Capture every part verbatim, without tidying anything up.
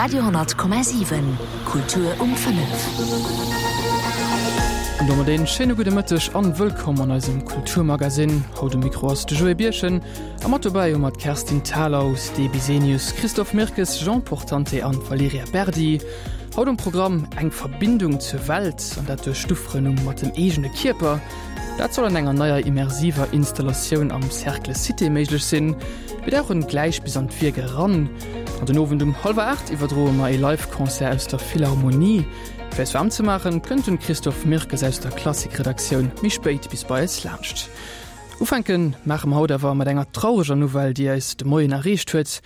Radio honnert Komma siwen, Kultur um fënnef. An domat een schéine gudde Mëtteg an wëllkomm an eisem Kulturmagazin. Haut um Mikro ass de Joé Birchen a mat dobäi hu mer d'Kerstin Thalau, Ste Bisenius, Christophe Mirkes, Jean Portante an Valerija Berdi. Haut um Programm, eng Verbindung zur Welt an dat duerch d'Ufrënnung mat dem eegene Kierper. Dat soll an enger neier immersiver Installatioun am Cercle Cité méiglech sinn. Mir dauchen gläich bis an d'Wierk eran. An den Owend um hallwer aacht iwwerdroe mer ee Live-Concert aus der Philharmonie. Fir eis waarm ze maachen, kënnt den Christophe Mirkes aus der Klassik-Redaktioun méi spéit bis bei eis laanscht. Ufänke maache mer haut awer mat enger traureger Nouvelle, déi eis de Moien erreecht huet.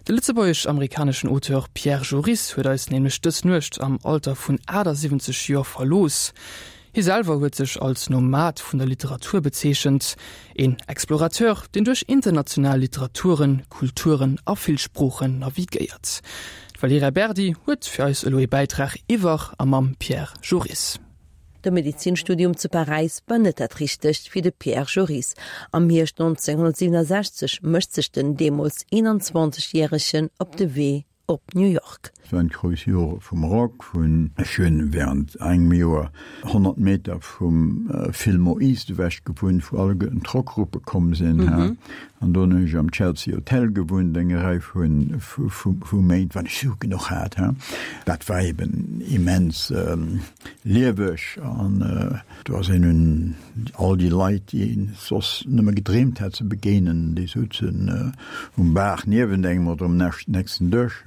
De lëtzebuergesch-amerikaneschen Auteur Pierre Joris huet eis nämlech dës Nuecht am Alter vun achtasiwwenzeg Joer verlooss. Hie selwer huet sech als Nomad vun der Literatur bezeechent, een Explorateur, deen duerch international Literaturen, Kulturen a vill Sproochen navigéiert. D'Valerija Berdi huet fir eis elo ee Bäitrag iwwer a mam Pierre Joris. De Medezinstudium zu Paräis war net dat Richtegt fir de Pierre Joris. Am Hierscht nonzénghonnertsiwwenasechzeg mécht sech den deemools eenanzwanzeg Järegen op de Wee op New York. Et waren d'grouss Jore vum Rock, vun ech hunn während engem Joer honnert Meter vum Fillmore East ewech gewunnt, wou alleguerten d'Rockgruppe komm sinn, an do hunn ech am Chelsea Hotel gewunnt eng Rei vu Méint, wann ech Sue genuch hat. Dat war eben immens lieweg an do ass een un all déi Leit, déi een soss nëmme gedreemt hat ze begéinen, déi souzen um Bar niewent engem oder um nächsten Dësch.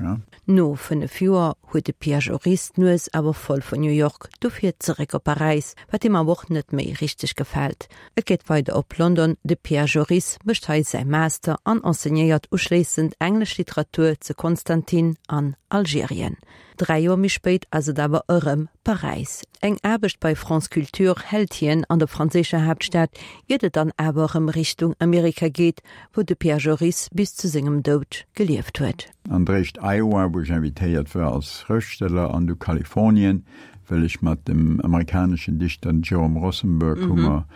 No fënnef Joer huet de Pierre Joris d'Nues awer voll vun New York, dofir zeréck op Paräis, wat him awer och net méi richteg gefält. Et geet weider op London, de Pierre Joris mécht hei säi Master an enseignéiert uschléissend englesch Literatur zu Constantine an Algerien. Dräi Joer méi spéit ass et awer erëm Paräis. Eng Aarbecht bei France Culture hält hien an der franséischer Haaptstad, iert et dann awer erëm Richtung Amerika geet, wou de Pierre Joris bis zu sengem Doud gelieft huet. An d'éischt Iowa, wou ech invitéiert war als Schrëftsteller, an du Kalifornien, well ech mat dem amerikaneschen Dichter Jerome Rothenberg hu mer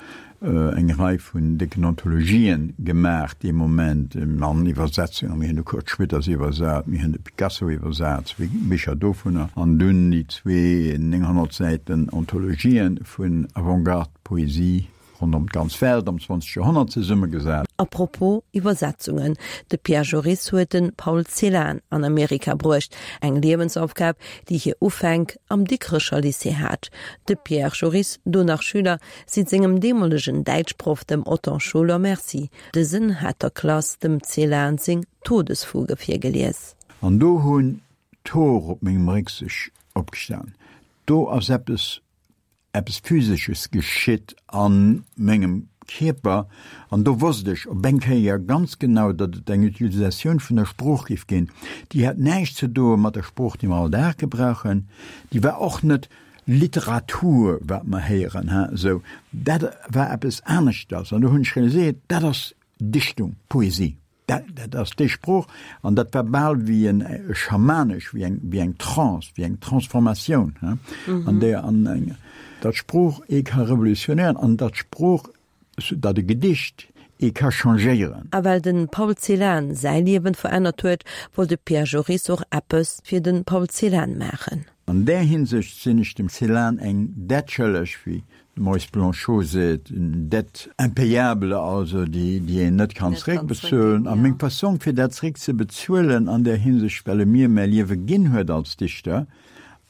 eng Rei vun décken Anthologien gemaach dee Moment, an Iwwersetzungen. Mir hunn de Kurt Schwitters iwwersat, mir hunn de Picasso iwwersat, zwee Bicher dovunner, an dunn déi zwee nénghonnert Säiten Anthologien vun Avantgarde-Poesie ronderëm d'ganz Welt am zwanzeg Joerhonnert zesummegesat. A propos Iwwersetzungen, de Pierre Joris huet de Paul Celan an Amerika bruecht, eng Liewensaufgab, déi hir Ufänk am Dikrecher Lycée hat. De Pierre Joris, do nach Schüler, seet sengem deemolegen Däitschproff, dem Otton Scholer, Merci. Dësen hat der Klass dem Celan seng Todesfuge virgelies. An do hunn d'Hoer op mengem Réck sech opgestan. Do ass eppes Eppes Physesches geschitt a mengem Kierper an do wosst ech op eng Kéier ganz genau, datt et eng Utilisatioun vun der Sprooch géif ginn, déi hat näischt ze doe mat der Sprooch, déi mer all Dag gebrauchen, déi war och net Literatur, wat mer héieren, hein, esou. Dat war eppes aneschters an do hunn ech realiséiert, dat ass Dichtung, Poesie. Dat, dat ass déi Sprooch, an dat war bal wéi en schamanesch, wéi eng, wéi eng Trance, wéi eng Transformatioun, hein, an där an eng, datt Sprooch ee ka revolutionéieren an datt Sprooch, datt e Gedicht ee ka changéieren. A well de Paul Celan säi Liewen verännert huet, wollt de Pierre Joris och eppes fir de Paul Celan maachen. An där Hinsicht sinn ech dem Celan eng Dett schëlleg, wéi de Maurice Blanchot seet, une dette impayable, also déi, déi een net kann zeréckbezuelen. A meng Fassong, fir dat zeréckzebezuelen an där Hinsicht, well e mir mäi Liewe ginn huet als Dichter,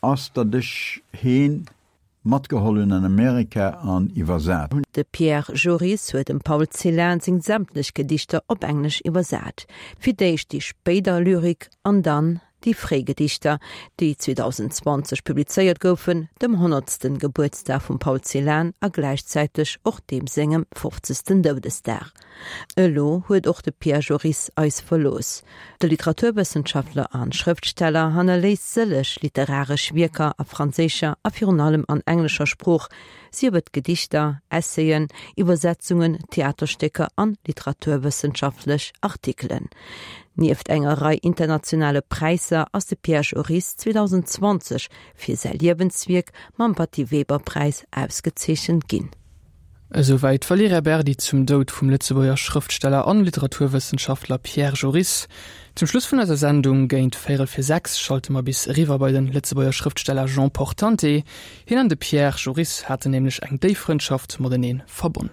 ass, datt ech heen matgeholl hunn an Amerika an iwwersat hunn. De Pierre Joris huet dem Paul Celan seng sämtlech Gedichter op Englesch iwwersat. Fir d'éischt déi spéider Lyrik an dann Déi fréi Gedichter, déi zweedausendzwanzeg publizéiert goufen, dem honnertsten Gebuertsdag vum Paul Celan a gläichzäiteg och deem sengem fofzegsten Doudesdag. Elo huet och de Pierre Joris eis verlooss. De Literaturwëssenschaftler a Schrëftsteller hannerléisst sëlleg literaresch Wierker a franséischer a virun allem an englescher Sprooch, sief et Gedichter, Essayen, Iwwersetzungen, Theaterstécker an literaturwëssenschaftlech Artikelen. Nieft enger Rei internationale Präisser ass de Pierre Joris zweedausendzwanzeg fir säi Liewenswierk mam Batty-Weber-Präis ausgezeechent ginn. Esouwäit d'Valerija Berdi zum Doud vum Lëtzebuerger Schrëftsteller an Literaturwëssenschaftler Pierre Joris. Zum Schluss vun eiser Sendung géint véierel vir sechs schalte mer bis eriwwer bei den Lëtzebuerger Schrëftsteller Jean Portante. Hien an de Pierre Joris haten nämlech eng déif Frëndschaft matenee verbonn.